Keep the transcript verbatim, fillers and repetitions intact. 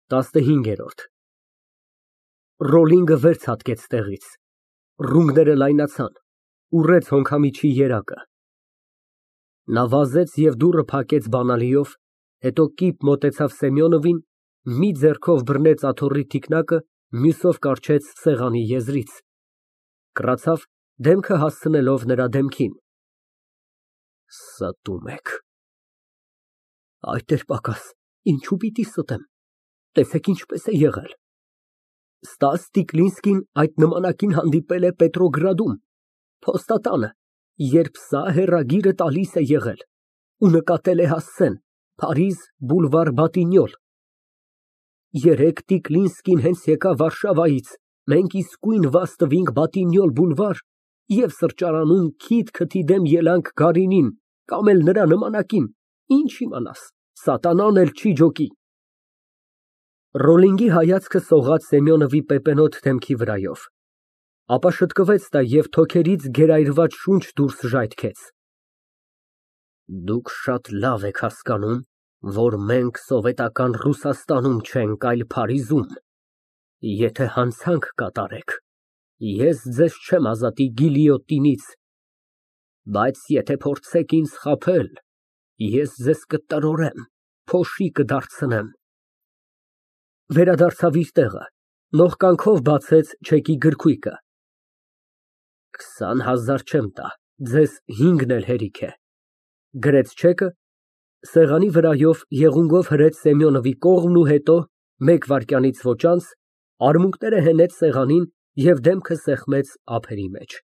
ՏԱՍՆՀԻՆԳԵՐՈՐԴ Ռոլինգը վեր ցատկեց տեղից, ռունգները լայնացան, ուռեց հոնքամիջի երակը։ Նա վազեց և դուռը փակեց բանալիով, հետո կիպ մոտեցավ Սեմյոնովին, մի ձեռքով բռնեց աթոռի թիկնակը, մյուսով կառչեց սեղանի եզրից, կռացավ, դեմքը հասցնելով նրա դեմքին։ Ստում եք։ Այդ էր պակաս, ինչու պիտի ստեմ, տեսեք ինչպես է եղել։ Ստաս Տիկլինսկին այդ նմանակին հանդիպել է Պետրոգրադում, փոստատանը, երբ սա հեռագիրը տալիս է եղել, ու նկատել է հասցեն, Փարիզ, բուլվար Բատինյոլ։ Երեկ Տիկլինսկին հենց եկավ Վարշավայից, մենք իսկույն վազ տվինք Բատինյոլ բուլվար և սրճարանում քիթ֊քթի դեմ ելանք Գարինին կամ էլ նրա նմանակին, ինչ իմանաս, սատանան էլ չի ջոկի։ Ռոլինգի հայացքը սողաց Սեմյոնովի պեպենոտ դեմքի վրայով, ապա շտկվեց նա և թոքերից գերայրված շունչ դուրս ժայթքեց։ Դուք շատ լավ եք հասկանում, որ մենք սովետական Ռուսաստանում չենք, այլ Փարիզում։ Եթե հանցանք կատարեք, ես ձեզ չեմ ազատի գիլյոտինից, բայց եթե փորձեք ինձ խաբել, ես ձեզ կտրորեմ, փոշի կդարձնեմ։ (Վերադարձավ իր տեղը, նողկանքով բացեց չեկի գրքույկը) Քսան հազար չեմ տա, ձեզ հինգն էլ հերիք է, գրեց չեկը, սեղանի վրայով եղունգով հրեց Սեմյոնովի կողմն ու հետո, մեկ վայրկյանից ոչ անց, արմունկները հենեց սեղանին և դեմքը սեղմեց ափերի մեջ։